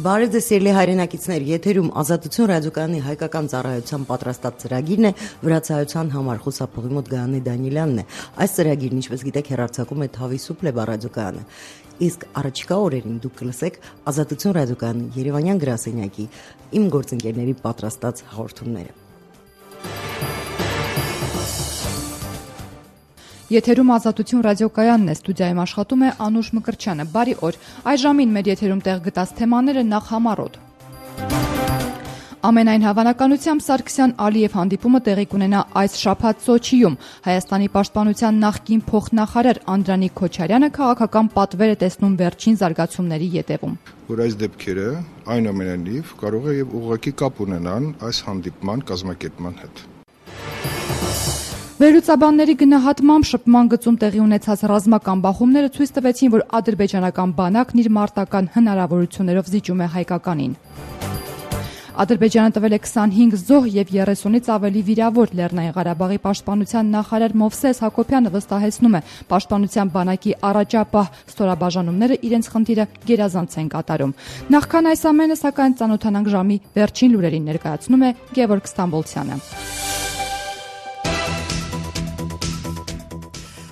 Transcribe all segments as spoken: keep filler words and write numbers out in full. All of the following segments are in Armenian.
Բարև ձեզ սիրելի հայրենակիցներ, եթերում Ազատություն ռադիոկայանի հայկական ծառայության պատրաստած ծրագիրն է, վրացայության համար խոսափողի մոտ Գայանե Դանիելյանն է։ Այս ծրագիրն, ինչպես գիտեք, հեռարձակում է Թավի Սուպլեբա ռադիոկայանը։ Իսկ առաջիկա օրերին դուք կլսեք Ազատություն ռադիոկայանի Երևանյան գրասենյակի իմ գործընկերների պատրաստած հաղորդումները։ Եթերում Ազատություն ռադիոկայանն է, ստուդիայում աշխատում է Անուշ Մկրտչյանը։ Բարի օր։ Այս ժամին մեր եթերում տեղ գտած թեմաները նախ համառոտ։ Ամենայն հավանականությամբ Սարգսյան-Ալիև հանդիպումը տեղի կունենա այս շաբաթ Սոչիում։ Հայաստանի պաշտպանության նախկին փոխնախարար Անդրանիկ Քոչարյանը քաղաքական պատվեր է տեսնում վերջին զարգացումների ետևում։ Որ այս դեպքերը այնուամենայնիվ կարող է եւ ուղղակի կապ ունենան այս հանդիպման կազմակերպման հետ։ Վերլուծաբանների գնահատմամբ շփման գծում տեղի ունեցած ռազմական բախումները ցույց տվեցին, որ ադրբեջանական բանակն իր մարտական հնարավորություններով զիջում է հայկականին։ Ադրբեջանը տվել է քսանհինգ զոհ եւ երեսունից ավելի վիրավոր։ Լեռնային Ղարաբաղի պաշտպանության նախարար Մովսես Հակոբյանը վստահեցնում է, պաշտպանության բանակի առաջապահ ստորաբաժանումները իրենց խնդիրը գերազանց են կատարում։ Նախքան այս ամենը, սակայն, ծանոթանանք ժամի վերջին լուրերին, ներկայացնում է Գևորգ Ստամբոլցյանը։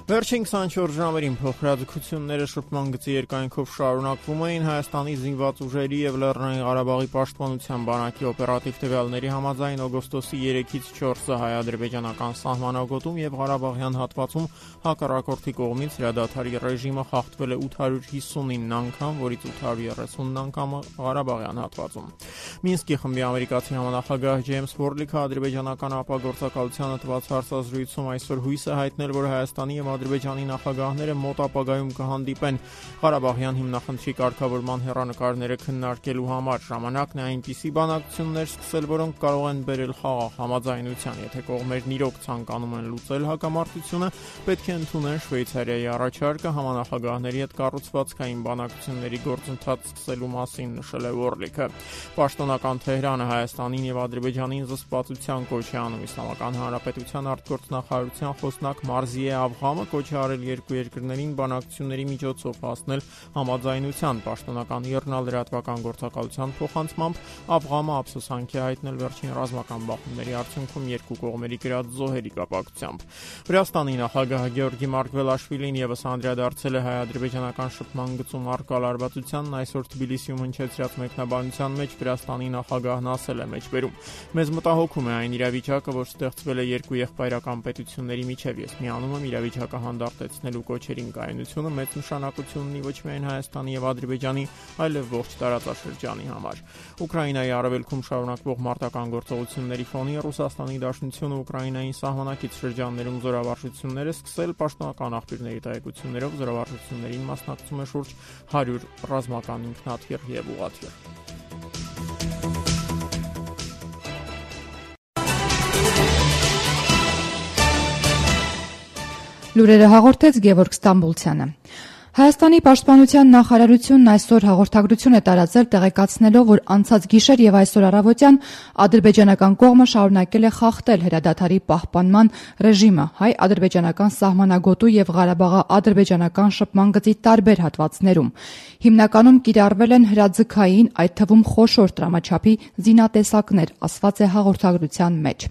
Վերջին քսանչորս ժամերին փոխհրաձգությունները շփման գծի երկայնքով շարունակվում էին։ Հայաստանի զինված ուժերի եւ Լեռնային Ղարաբաղի պաշտպանության բանակի օպերատիվ տվյալների համաձայն օգոստոսի երեքից չորսը հայ-ադրբեջանական սահմանագոտում եւ Ղարաբաղյան հատվածում հակառակորդի կողմից հրադադարի ռեժիմը խախտվել է ութ հարյուր հիսունինը անգամ, որից ութ հարյուր երեսուն անգամը Ղարաբաղյան հատվածում։ Մինսկի խմբի ամերիկացի համանախագահ Ջեյմս Ֆորլիքը ադրբեջանական ապագործակալությանը տված հարցազրույցում այսօր հույս է հայտնել, որ Հայաստանի եւ Ադրբեջանի նախագահները մոտ ապագայում կհանդիպեն Ղարաբաղյան հիմնախնդրի կարգավորման հեռանկարները քննարկելու համար։ Ժամանակն է այնպիսի բանակցություններ սկսել, որոնք կարող են բերել խաղաղ համաձայնության։ Եթե կողմերն իրոք ցանկանում են լուծել հակամարտությունը, պետք է ընդունեն Շվեյցարիայի առաջարկը համանախագահների հետ կառուցվածքային բանակցությունների գործընթաց սկսելու մասին, նշել է Օրլիքը։ Պաշտոնական Թեհրանը Հայաստանին եւ Ադրբեջանին զսպվածության կոչ է անում։ Իսլամական Հանրապետության արտգործնախարարության խոսնակ Մարզիե Ավղամը կոչ է արել երկու երկրներին բանակցությունների միջոցով հասնել համաձայնության։ Պաշտոնական իռնա-լրատվական գործակալության փոխանցմամբ Ավղամը ափսոսանք է հայտնել վերջին ռազմական բախումների արդյունքում երկու կողմերի կրած զոհերի կապակցությամբ։ Վրաստանի նախագահ Գեորգի Մարգվելաշվիլին եւս անդրադարձել է հայ-ադրբեջանական շփման գծում առկա լարվածությանն։ Այսօր Թբիլիսիում հնչեցրած մեկնաբանության մեջ Վրաստանի նախագահն ասել է մեջբերում. «Մեզ մտահոգում է այն իրավիճակը, որ ստեղծվել է երկու եղբայրական պետությունների միջև։ Ես միանում եմ իրավիճակը հանդարտեցնելու կոչերին կայունությունը մեծ նշանակություն ունի ոչ միայն Հայաստանի եւ Ադրբեջանի, այլև ողջ տարածաշրջանի համար»։ Ուկրաինայի արևելքում շարունակվող մարտական գործողությունների ֆոնին Ռուսաստանի Դաշնությունը Ուկրաինային սահմանակից շրջաններում զորավարժություններ է սկսել։ Պաշտոնական աղբյուրների տեղեկություններով զորավարժություններին մասնակցում է շուրջ հարյուր ռազմական ինքնաթիռ եւ ուղղաթիռ։ Լուրերը հաղորդեց Գևորգ Ստամբոլցյանը։ Հայաստանի պաշտպանության նախարարությունն այսօր հաղորդագրություն է տարածել, տեղեկացնելով, որ անցած գիշեր եւ այսօր առավոտյան ադրբեջանական կողմը շարունակել է խախտել հրադադարի պահպանման ռեժիմը հայ-ադրբեջանական սահմանագոտու եւ Ղարաբաղա-ադրբեջանական շփման գծի տարբեր հատվածներում։ Հիմնականում կիրառվել են հրաձգային, այդ թվում խոշոր տրամաչափի զինատեսակներ, ասված է հաղորդագրության մեջ։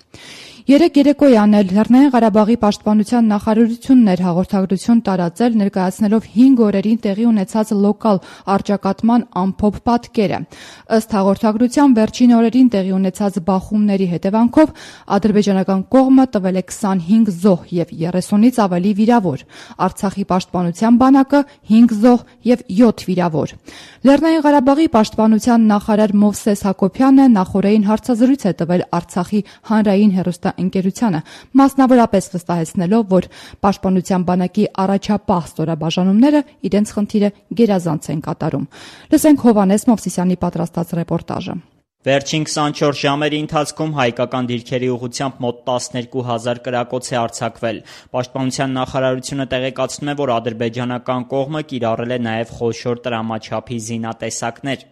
Երեք երեկոյան էլ Լեռնային Ղարաբաղի պաշտպանության նախարարությունն էր հաղորդագրություն տարածել, ներկայացնելով հինգ օրերին տեղի ունեցած լոկալ առճակատման ամփոփ պատկերը։ Ըստ հաղորդագրության վերջին օրերին տեղի ունեցած բախումների հետևանքով ադրբեջանական կողմը տվել է քսանհինգ զոհ եւ երեսունից ավելի վիրավոր։ Արցախի պաշտպանության բանակը հինգ զոհ եւ յոթ վիրավոր։ Լեռնային Ղարաբաղի պաշտպանության նախարար Մովսես Հակոբյանը նախորդին հարցազրույց է տվել Արցախի հանրային հեռուստաընկերությանը, մասնավորապես վստահեցնելով, որ պաշտպանության բանակի առաջապահ ստորաբաժանումները իրենց խնդիրը գերազանց են կատարում։ Լսենք Հովհաննես Մովսիսյանի պատրաստած ռեպորտաժը։ Վերջին քսանչորս ժամերի ընթացքում հայկական դիրքերի ուղղությամբ մոտ տասներկու հազար կրակոց է արձակվել։ Պաշտպանության նախարարությունը տեղեկացնում է, որ ադրբեջանական կողմը կիրառել է նաև խոշոր տրամաչափի զինատեսակներ։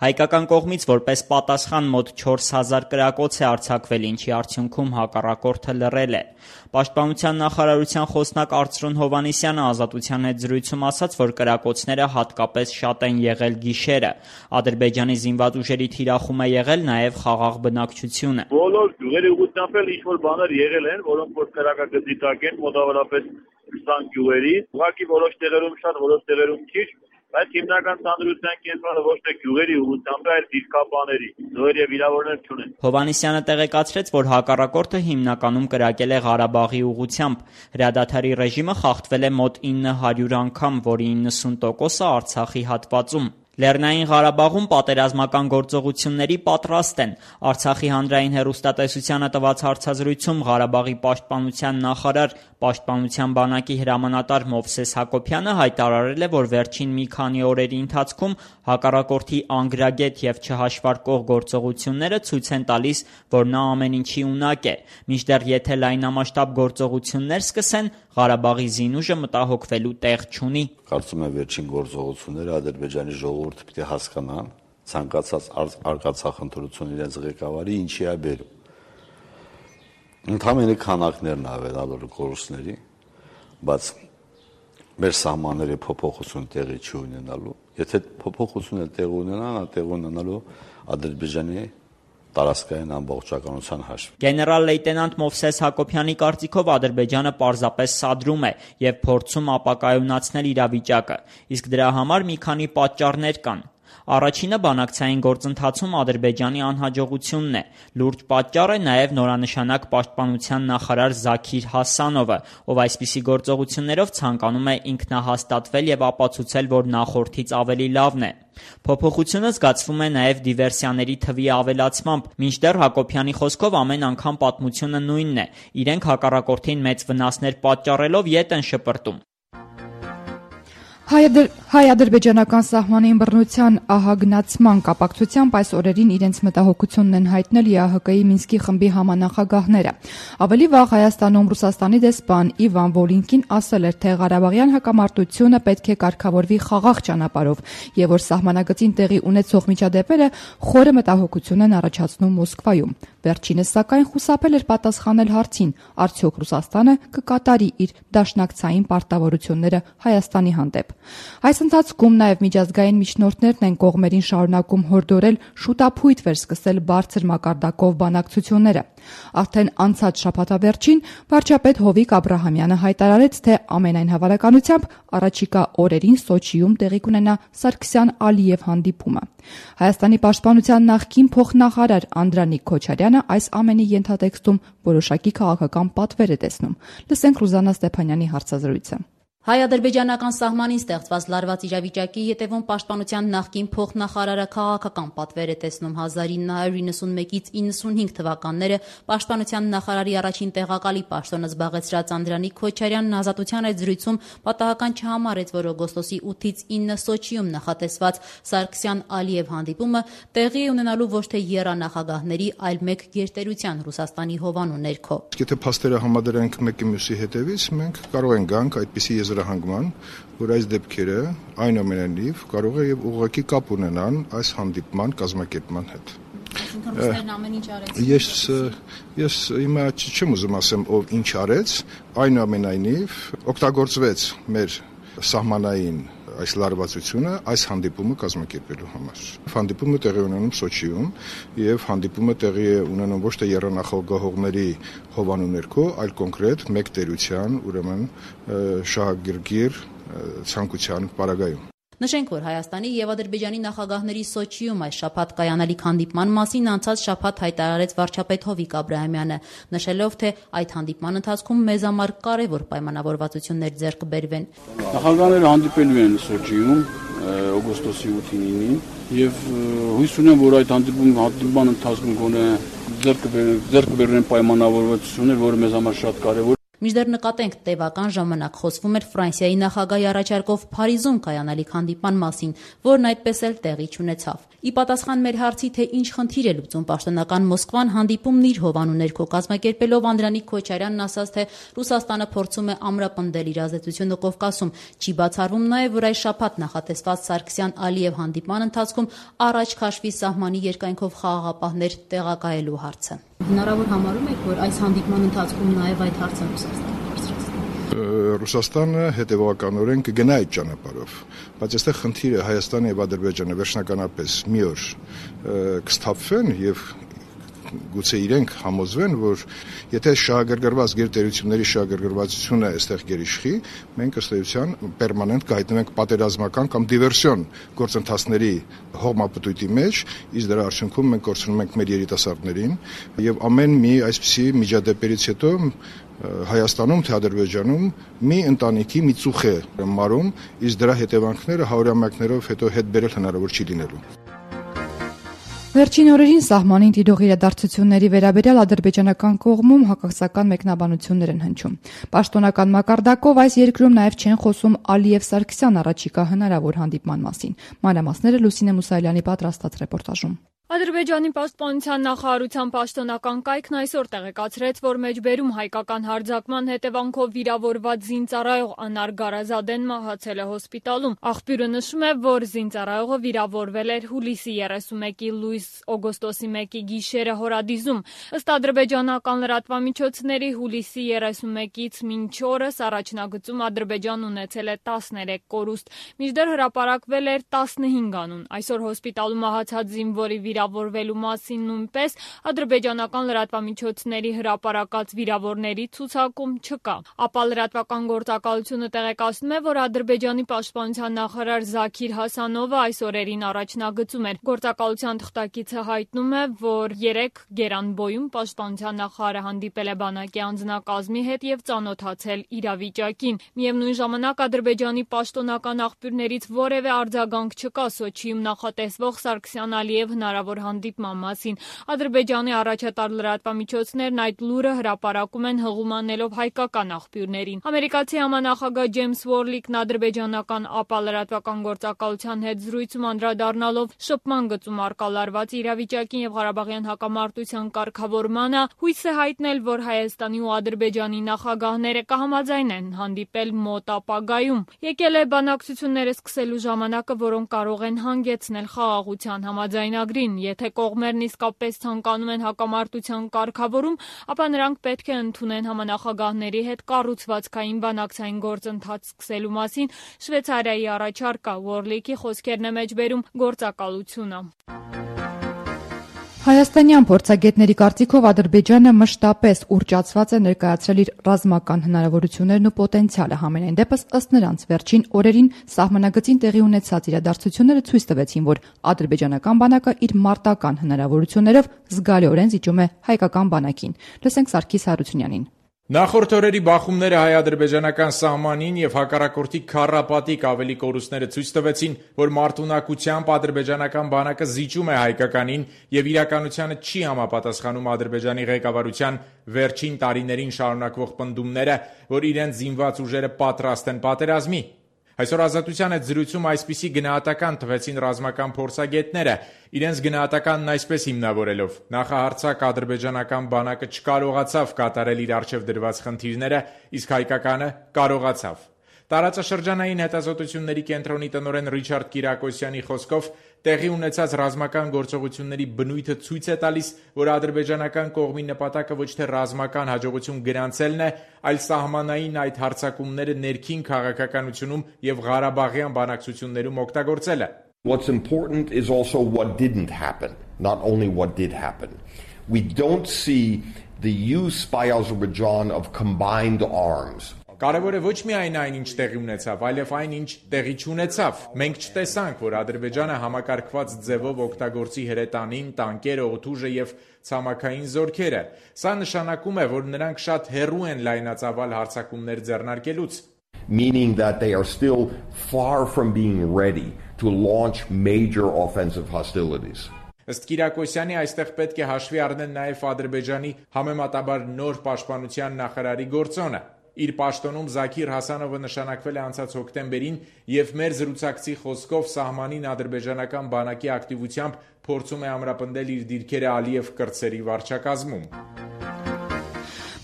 Հայկական կողմից որպես պատասխան մոտ չորս հազար կրակոց է արձակվել, ինչի արդյունքում հակառակորդը լռել է։ Պաշտպանության նախարարության խոսնակ Արծրուն Հովհաննիսյանը Ազատության հետ զրույցում ասաց, որ կրակոցները հատկապես շատ են եղել գիշերը։ Ադրբեջանի զինված ուժերի թիրախում է եղել նաև խաղաղ բնակչությունը։ Բոլոր գյուղերի ուղղությամբ էլ ինչ-որ բաներ եղել են, որոնք որ կրակագծի տակ են, մոտավորապես քսան գյուղերի, ուղղակի որոշ տեղերում շատ, որոշ տեղերում քիչ, բայց հիմնական ցանրության կենտրոնը ոչ թե գյուղերի ուղղությամբ, այլ դիրքապաների, զոհեր եւ վիրավորներ չունեն։ Հովհաննիսյանը տեղեկացրեց, որ հակառակորդը հիմնականում կրակել է Ղարաբաղի ուղղությամբ։ Հրադադարի ռեժիմը խախտվել է մոտ ինը հարյուր անգամ, որի իննսուն տոկոսը Արցախի հատվածում։ Լեռնային Ղարաբաղում պատերազմական գործողությունների պատրաստ են։ Արցախի հանրային հեռուստատեսությանը տված հարցազրույցում Ղարաբաղի պաշտպանության նախարար, պաշտպանության բանակի հրամանատար Մովսես Հակոբյանը հայտարարել է, որ վերջին մի քանի օրերի ընթացքում հակառակորդի անգրագետ եւ չհաշվարկող գործողությունները ցույց են տալիս, որ նա ամեն ինչի ունակ է։ Մինչդեռ եթե լայնամասշտաբ գործողություններ սկսեն, Ղարաբաղի զինուժը մտահոգվելու տեղ չունի։ Կարծում եմ վերջին գործողությունները Ադրբեջանի ժողովուրդը պիտի հասկանան ցանկացած արկածախնդրություն իրենց ղեկավարի ինչի է բերում։ Ընդհանրապես քանակներն ավելալու կորուստների, բայց մեր սահմանների փոփոխություն տեղի չի ունենալու։ Եթե փոփոխությունը տեղի ունենա, տեղի ունենալու Ադրբեջանի տարածքային ամբողջականության հաշվին։ Գեներալ լեյտենանտ Մովսես Հակոբյանի կարծիքով Ադրբեջանը պարզապես սադրում է եւ փորձում ապակայունացնել իրավիճակը, իսկ դրա համար մի քանի պատճառներ կան։ Առաջինը բանակցային գործընթացում Ադրբեջանի անհաջողությունն է։ Լուրջ պատճառ է նաև նորանշանակ պաշտպանության նախարար Զաքիր Հասանովը, ով այսպիսի գործողություններով ցանկանում է ինքնահաստատվել եւ ապացուցել, որ նախորդից ավելի լավն է։ Փոփոխությունը զգացվում է նաև դիվերսիաների թվի ավելացմամբ, մինչդեռ Հակոբյանի խոսքով ամեն անգամ պատմությունը նույնն է։ Իրենք հակառակորդին մեծ վնասներ պատճառելով ետ են շպրտում։ Հայ-ադրբեջանական սահմանի ըմբռնության ահագնացման կապակցությամբ այս օրերին իրենց մտահոգությունն են հայտնել ԵԱՀԿ-ի Մինսկի խմբի համանախագահները։ Ավելի վաղ Հայաստանում Ռուսաստանի դեսպան Իվան Վոլինկին ասել էր, թե Ղարաբաղյան հակամարտությունը պետք է կարգավորվի խաղաղ ճանապարհով եւ որ սահմանագծին տեղի ունեցող միջադեպերը խորը մտահոգություն են առաջացնում Մոսկվայում։ Վերջինս սակայն խուսափել էր պատասխանել հարցին, արդյոք Ռուսաստանը կկատարի իր դաշնակցային պարտավորությունները Հայաստանի հանդեպ։ Այս ընթացքում նաև միջազգային միջնորդներն են կողմերին շարունակում հորդորել շուտափույթ վերսկսել բարձր մակարդակով բանակցությունները։ Արդեն անցած շաբաթավերջին վարչապետ Հովիկ Աբրահամյանը հայտարարեց, թե ամենայն հավանականությամբ առաջիկա օրերին Սոչիում տեղի կունենա Սարգսյան-Ալիև հանդիպումը։ Հայաստանի պաշտպանության նախկին փոխնախարար Անդրանիկ Քոչարյանը այս ամենի ենթատեքստում որոշակի քաղաքական պատվեր է տեսնում։ Լսենք Ռուզաննա Ստեփանյանի հարցազրույցը։ Հայ-ադրբեջանական սահմանին ստեղծված լարված իրավիճակի ետևում պաշտպանության նախկին փոխնախարարը քաղաքական պատվեր է տեսնում հազար ինը հարյուր իննսունմեկից իննսունհինգ թվականները պաշտպանության նախարարի առաջին տեղակալի պաշտոնը զբաղեցրած Անդրանիկ Քոչարյանն Ազատության հետ զրույցում պատահական չհամարեց, որ օգոստոսի ութից ինը Սոչիում նախատեսված Սարգսյան-Ալիև հանդիպումը տեղի է ունենալու ոչ թե եռանախագահների, այլ մեկ գերտերության Ռուսաստանի հովանու ներքո։ Եթե փաստերը համադրենք մեկի մյուսի հետևից, մենք կարող ենք գանք այդպիսի եզրահանգման, որ այս դեպքերը այնուամենայնիվ կարող է եւ ուղղակի կապ ունենան այս հանդիպման կազմակերպման հետ։ Ես ես հիմա չեմ ուզում ասեմ ով ինչ արեց, այնուամենայնիվ օգտագործվեց մեր սահմանային այս լարվածությունը այս հանդիպումը կազմակերպելու համար։ Հանդիպումը տեղի ունենում Սոչիում եւ հանդիպումը տեղի է ունենում ոչ թե եռանախագահողների հովանու ներքո, այլ կոնկրետ մեկ տերության, ուրեմն շահագրգիռ ցանկության պարագայում։ Նշենք, որ Հայաստանի եւ Ադրբեջանի նախագահների Սոչիում այս շաբաթ կայանալիք հանդիպման մասին անցած շաբաթ հայտարարեց վարչապետ Հովիկ Աբրահամյանը, նշելով, թե այդ հանդիպման ընթացքում մեզ համար կարևոր պայմանավորվածություններ ձեռք բերվեն։ Նախագահները հանդիպելու են Սոչիում օգոստոսի ութին ինին եւ հույս ունեմ, որ այդ հանդիպման ընթացքում գոնե ձեռք բերեն պայմանավորվածություններ, որը մեզ համար շատ կարևոր։ Մինչդեռ նկատենք, տևական ժամանակ խոսվում էր Ֆրանսիայի նախագահի առաջարկով Փարիզում կայանալիք հանդիպման մասին, որն այդպես էլ տեղի չունեցավ։ Ի պատասխան մեր հարցի, թե ինչ խնդիր է լուծում պաշտոնական Մոսկվան, հանդիպումն իր հովանու ներքո կազմակերպելով Անդրանիկ Քոչարյանն ասաց, թե Ռուսաստանը փորձում է ամրապնդել իր ազդեցությունը Կովկասում։ Չի բացառվում նաև, որ այս շաբաթ նախատեսված Սարգսյան-Ալիև հանդիպման ընթացքում առաջ քաշվի սահմանի երկայնքով խաղաղապահներ տեղակայելու հարցը։ Հնարավոր համարում եք, որ այս հանդիպման ընթացքում նաև այդ հարցը Ռուսաստանը Ռուսաստանը հետևականորեն կգնա այդ ճանապարհով, բայց այստեղ խնդիրը Հայաստանը եւ Ադրբեջանը վերջնականապես մի օր կստափվեն եւ գուցե իրենք համոզվեն, որ եթե շահագրգռված գերտերությունների շահագրգռվածությունը այստեղ գերիշխի, մենք ըստ էության պերմանենտ կհայտնվենք պատերազմական կամ դիվերսիոն գործընթացների հողմապտույտի մեջ, իսկ դրա արդյունքում մենք կորցնում ենք մեր երիտասարդներին եւ ամեն մի այսպիսի միջադեպերից հետո Հայաստանում թե Ադրբեջանում մի ընտանիքի մի ծուխ է մարում, իսկ դրա հետևանքները հարյուրամյակներով հետո հետ բերել հնարավոր չի լինելու։ Վերջին օրերին սահմանին տիրող իրադարձությունների վերաբերյալ ադրբեջանական կողմում հակասական մեկնաբանություններ են հնչում։ Պաշտոնական մակարդակով այս երկրում նաև չեն խոսում Ալիև-Սարգսյան առաջիկա հնարավոր հանդիպման մասին։ Մանրամասները Լուսինե Մուսայելյանի պատրաստած ռեպորտաժում։ Ադրբեջանի պաշտպանության նախարարության պաշտոնական կայքն այսօր տեղեկացրեց, որ մեջբերում հայկական հարձակման հետևանքով վիրավորված զինծառայող Անար Գարազադեն մահացել է հոսպիտալում։ Աղբյուրը նշում է, որ զինծառայողը վիրավորվել էր հուլիսի երեսունմեկի լույս օգոստոսի մեկի գիշերը Հորադիզում։ Ըստ ադրբեջանական լրատվամիջոցների հուլիսի երեսունմեկից մինչ օրս առաջնագծում Ադրբեջանն ունեցել է տասներեք կորուստ, մինչդեռ հրապարակվել էր տասնհինգ անուն։ Այսօր հոսպիտալում մահացած զինվորի վիրավորվելու մասին նույնպես ադրբեջանական լրատվամիջոցների հրապարակած վիրավորների ցուցակում չկա։ Ապա լրատվական գործակալությունը տեղեկացնում է, որ Ադրբեջանի պաշտպանության նախարար Զաքիր Հասանովը այս օրերին առաջնագծում էր։ Գործակալության թղթակիցը հայտնում է, որ երեք Գերանբոյում պաշտպանության նախարարը հանդիպել է բանակի անձնակազմի հետ եւ ծանոթացել իրավիճակին։ Միևնույն ժամանակ Ադրբեջանի պաշտոնական աղբյուրներից որևէ արձագանք չկա Սոչիում նախատեսվող Սարգսյան-Ալիև հնարավոր հանդիպման մասին։ Ադրբեջանի առաջատար լրատվամիջոցներն այդ լուրը հրապարակում են հղումանելով հայկական աղբյուրներին։ Ամերիկացի համանախագահ Ջեյմս Ուորլիկն ադրբեջանական ԱՊԱ լրատվական գործակալության հետ զրույցում անդրադառնալով շփման գծում առկա լարված իրավիճակին եւ Ղարաբաղյան հակամարտության կարգավորմանը հույս է հայտնել, որ Հայաստանի ու Ադրբեջանի նախագահները կհամաձայնեն հանդիպել մոտ ապագայում։ Եկել է բանակցությունները սկսելու ժամանակը, որոնք կարող են հանգեցնել խաղաղության համաձայնագրին։ Եթե կողմերն իսկապես ցանկանում են հակամարտության կարգավորում, ապա նրանք պետք է ընդունեն համանախագահների հետ կառուցվածքային բանակցային գործընթաց սկսելու մասին Շվեյցարիայի առաջարկը։ Ուորլիկի խոսքերն է մեջբերում գործակալությունը։ Հայաստանյան փորձագետների կարծիքով Ադրբեջանը մշտապես ուռճացված է ներկայացրել իր ռազմական հնարավորություններն ու պոտենցիալը։ Համենայն դեպս ըստ նրանց վերջին օրերին սահմանագծին տեղի ունեցած իրադարձությունները ցույց տվեցին, որ ադրբեջանական բանակը իր մարտական հնարավորություններով զգալիորեն զիջում է հայկական բանակին։ Լսենք Սարգիս Հարությունյանին։ Նախորդ օրերի բախումները հայ-ադրբեջանական սահմանին եւ հակառակորդի քառապատիկ ավելի կորուստները ցույց տվեցին, որ մարտունակությամբ ադրբեջանական բանակը զիջում է հայկականին եւ իրականությանը չի համապատասխանում Ադրբեջանի ղեկավարության վերջին տարիներին շարունակվող պնդումները, որ իրենց զինված ուժերը պատրաստ են պատերազմի։ Այսօր Ազատության հետ զրույցում այսպիսի գնահատական տվեցին ռազմական փորձագետները, իրենց գնահատականն այսպես հիմնավորելով. նախահարձակ ադրբեջանական բանակը չկարողացավ կատարել իր առջև դրված խնդիրները, իսկ հայկականը կարողացավ։ Տարածաշրջանային հետազոտությունների կենտրոնի տնօրեն Ռիչարդ Կիրակոսյանի խոսքով տեղի ունեցած ռազմական գործողությունների բնույթը ցույց է տալիս, որ ադրբեջանական կողմի նպատակը ոչ թե ռազմական հաջողություն գրանցելն է, այլ սահմանային այդ հարձակումները ներքին քաղաքականությունում եւ Ղարաբաղյան բանակցություններում օգտագործելը։ What's important is also what didn't happen, not only what did happen. We don't see the use by Azerbaijan of combined arms. Կարևորը ոչ միայն այն, ինչ տեղի ունեցավ, այլև այն, ինչ տեղի չունեցավ։ Մենք չտեսանք, որ Ադրբեջանը համակարգված ձևով օգտագործի հրետանին, տանկերը, օդուժը եւ ցամաքային զորքերը։ Սա նշանակում է, որ նրանք շատ հեռու են լայնածավալ հարձակումներ ձեռնարկելուց։ Meaning that they are still far from being ready to launch major offensive hostilities. Ըստ Կիրակոսյանի, այստեղ պետք է հաշվի առնել նաև Ադրբեջանի համեմատաբար նոր պաշտպանության նախարարի գործոնը։ Իր պաշտոնում Զաքիր Հասանովը նշանակվել է անցած հոկտեմբերին եւ մեր զրուցակցի խոսքով սահմանին ադրբեջանական բանակի ակտիվությամբ փորձում է ամրապնդել իր դիրքերը Ալիև կրտսերի վարչակազմում։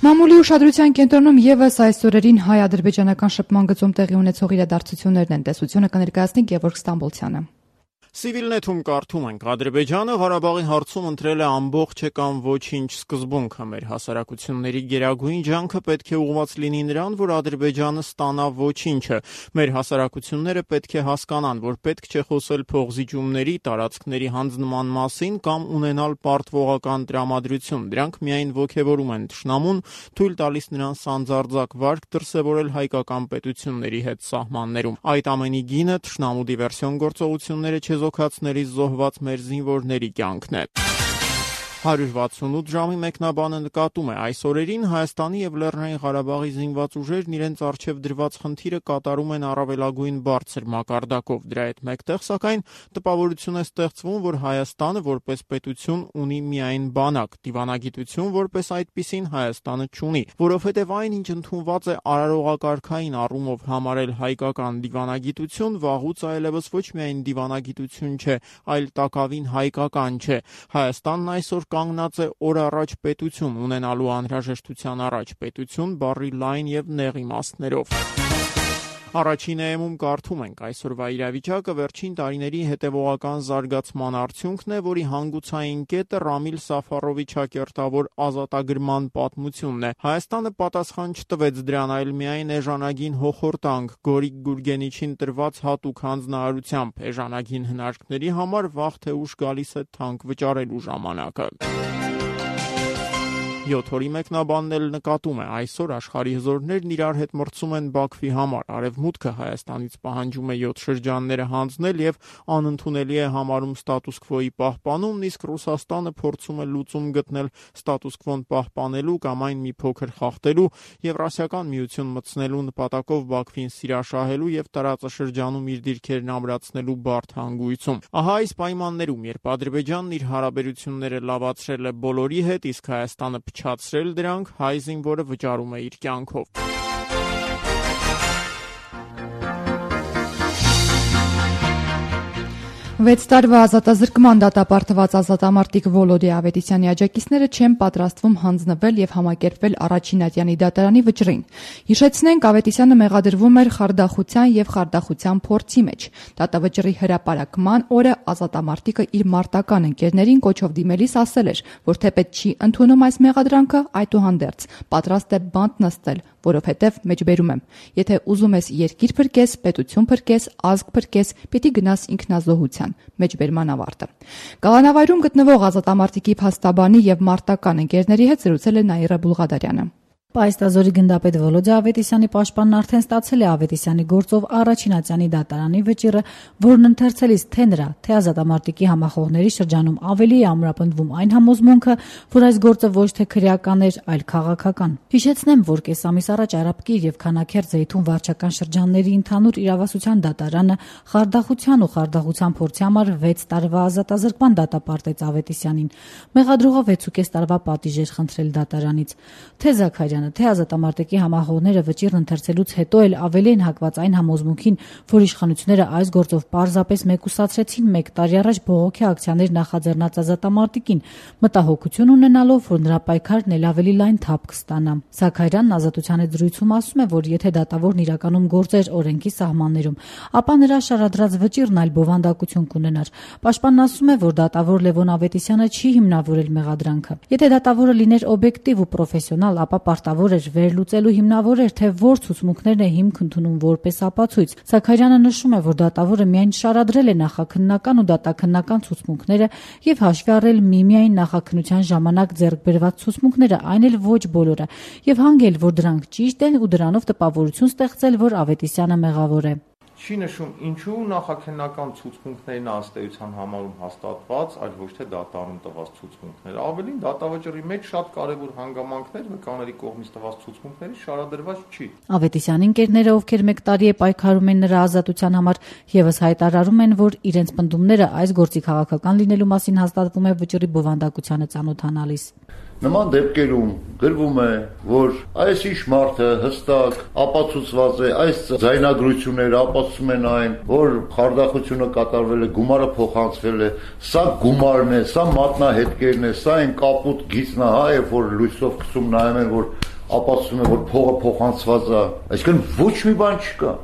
Մամուլի ուշադրության կենտրոնում եւս այս օրերին հայ-ադրբեջանական շփման գծում տեղի ունեցող իրադարձություններն են։ Տեսությունը կներկայացնի Գևորգ Ստամբոլցյանը։ Civilnet-ում կարդում ենք. Ադրբեջանը Ղարաբաղի հարցում ընտրել է ամբողջ է կամ ոչինչ սկզբունքը։ Մեր հասարակությունների գերագույն ջանքը պետք է ուղղված լինի նրան, որ Ադրբեջանը ստանա ոչինչը։ Մեր հասարակությունները պետք է հասկանան, որ պետք չէ խոսել փողզիջումների, տարածքների հանձնման մասին կամ ունենալ պարտվողական տրամադրություն։ Դրանք միայն ոգևորում են թշնամուն, թույլ տալիս նրան սանձարձակ վարք դրսևորել հայկական պետությունների հետ սահմաններում։ Այդ ամենի գինը թշնամու դիվերսիոն գործողությունները չեզոք Ոքացներից զոհված մեր զինվորների կյանքն է։ հարյուր վաթսունութ ժամի մեկնաբանը նկատում է. այս օրերին Հայաստանի եւ Լեռնային Ղարաբաղի զինված ուժերն իրենց առջև դրված խնդիրը կատարում են առավելագույն բարձր մակարդակով։ Դրա հետ մեկտեղ, սակայն, տպավորություն է ստեղծվում, որ Հայաստանը որպես պետություն ունի միայն բանակ, դիվանագիտություն որպես այդպիսին Հայաստանը չունի, որովհետեւ այն, ինչ ընդունված է արարողակարգային առումով համարել հայկական դիվանագիտություն, վաղուց այլևս ոչ միայն դիվանագիտություն չէ, այլ տակավին հայկական չէ։ Հայաստանն այսօր կանգնած է օր առաջ պետություն ունենալու անհրաժեշտության առաջ, պետություն բառի լայն եւ նեղ իմաստներով։ Առաջին էմում կարդում ենք. այսօրվա իրավիճակը վերջին տարիների հետևողական զարգացման արդյունքն է, որի հանգուցային կետը Ռամիլ Սաֆարովի ճակերտավոր ազատագրման պատմությունն է։ Հայաստանը պատասխան չտվեց դրան, այլ միայն էժանագին հոխորտանք, Գորիկ Գուրգենիչին տրված հատուկ հանձնարարությամբ։ Էժանագին հնարքների համար վաղ թե ուշ գալիս է թանկ վճարելու ժամանակը։ յոթ օրի մեկնաբանն էլ նկատում է. այսօր աշխարհի հզորներն իրար հետ մրցում են Բաքվի համար։ Արևմուտքը Հայաստանից պահանջում է յոթ շրջանները հանձնել եւ անընդունելի է համարում ստատուս քվոյի պահպանումն, իսկ Ռուսաստանը փորձում է լուծում գտնել ստատուս քվոն պահպանելու կամ այն մի փոքր խախտելու, Եվրասիական միություն մտցնելու նպատակով Բաքվին սիրաշահելու եւ տարածաշրջանում իր դիրքերն ամրացնելու բարդ հանգույցում։ Ահա այս պայմաններում, երբ Ադրբեջանն իր հարաբերությունները լավացրել է բոլորի հետ, իսկ Հայաստանը չացրել դրանք, հայ զինվորը վճարում է իր կյանքով։ վեց տարվա ազատազրկման դատապարտված ազատամարտիկ Վոլոդի Ավետիսյանի աջակիցները չեն պատրաստվում հանձնվել եւ համակերպվել առաջին ատյանի դատարանի վճռին։ Հիշեցնենք, Ավետիսյանը մեղադրվում էր խարդախության եւ խարդախության փորձի մեջ։ Դատավճռի հրապարակման օրը ազատամարտիկը իր մարտական ընկերներին կոչով դիմելիս ասել էր, որ թեպետ չի ընդունում այս մեղադրանքը, այդուհանդերձ պատրաստ է բանտ նստել, որովհետև մեջբերում եմ, եթե ուզում ես երկիր փրկես, պետություն փրկես, ազգ փրկես, պիտի գնաս ինքնազոհության, մեջբերման ավարտը։ Կալանավայրում գտնվող ազատամարտիկի փաստաբանի եւ մարտական ընկերների հետ զրուցել է Նաիրա Բուլղադարյանը։ Պայստազորի գնդապետ Վոլոդի Ավետիսյանի պաշտպանն արդեն ստացել է Ավետիսյանի գործով առաջին ատյանի դատարանի վճիռը, որն ընթերցելիս թե նրա, թե ազատամարտիկի համախոհների շրջանում ավելի է ամրապնդվում այն համոզմունքը, որ այս գործը ոչ թե քրեական էր, այլ քաղաքական։ Հիշեցնեմ, որ կես ամիս առաջ Արաբկիր եւ Քանաքեր Զեյթուն վարչական շրջանների ընդհանուր իրավասության դատարանը խարդախության ու խարդախության փորձի համար վեց տարվա ազատազրկման դատապարտեց Ավետիսյանին։ Մեղադրողը վեցուկես տարվա պատիժ էր խնդրել դատարանից։ Թե Զաքարյանը թե ազատամարտիկի համախոհները վճիռն ընթերցելուց հետո էլ ավելի են հակված այն համոզմունքին, որ իշխանությունները այս գործով պարզապես մեկուսացրեցին մեկ տարի առաջ բողոքի ակցիաներ նախաձեռնած ազատամարտիկին, մտահոգություն ունենալով, որ նրա պայքարն էլ ավելի լայն թափ կստանա։ Զաքարյանն ազատության հետ զրույցում ասում է, որ եթե դատավորն իրականում գործեր օրենքի սահմաններում, ապա նրա շարադրած վճիռն այլ բովանդակություն կունենար։ Պաշտպանն ասում է, որ դատավոր Լևոն Ավետիսյանը չի հիմնավորել մեղադրանքը։ Եթե դատավորը լիներ օբյեկտիվ ու պրոֆեսիոնալ, ապա պարտավոր էր վերլուծելու հիմնավոր էր, թե որ ցուցմունքներն է հիմք ընդունում որպես ապացույց։ Զաքարյանը նշում է, որ դատավորը միայն շարադրել է նախաքննական ու դատաքննական ցուցմունքները եւ հաշվի առել միմիայն նախաքննության ժամանակ ձեռք բերված ցուցմունքները, այն էլ ոչ բոլորը, եւ հանգել, որ դրանք ճիշտ են ու դրանով տպավորություն ստեղծել, որ Ավետիսյանը մեղավոր է։ չի նշում ինչու նախաքննական ցուցմունքներն ըստեյության համարում հաստատված, այլ ոչ թե դատարանում տված ցուցմունքներ։ Ավելին դատավճռի մեջ շատ կարևոր հանգամանքներ վկաների կողմից տված ցուցմունքների շարադրված չի։ Ավետիսյանի ընկերները, ովքեր մեկ տարի է պայքարում են նրա ազատության համար, եւս հայտարարում են, որ իրենց պնդումները այս գործի քաղաքական լինելու մասին հաստատվում է վճռի բովանդակությանը ծանոթանալիս։ Նման դեպքերում գրվում է, որ այս ինչ մարդը հստակ ապացուցված է, այս ձայնագրությունները ապացուցում են այն, որ խարդախությունը կատարվել է, գումարը փոխանցվել է, սա գումարն է, սա մատնահետքերն է, սա այն կապուտ գիծն է, հա, երբ որ լույսով քսում նայում են, որ ապացուցում է, որ փողը փոխանցված է, այսինքն ոչ մի բան չկա։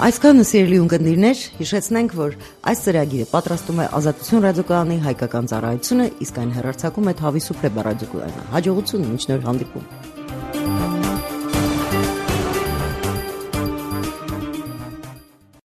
Այսքանը սիրելի ունկնդիրներ, հիշեցնենք, որ այս ծրագիրը պատրաստում է Ազատություն ռադիոկայանի հայկական ծառայությունը, իսկ այն հեռարձակում է Թավի Սուպլե ռադիոկայանը։ Հաջողություն, մինչ նոր հանդիպում։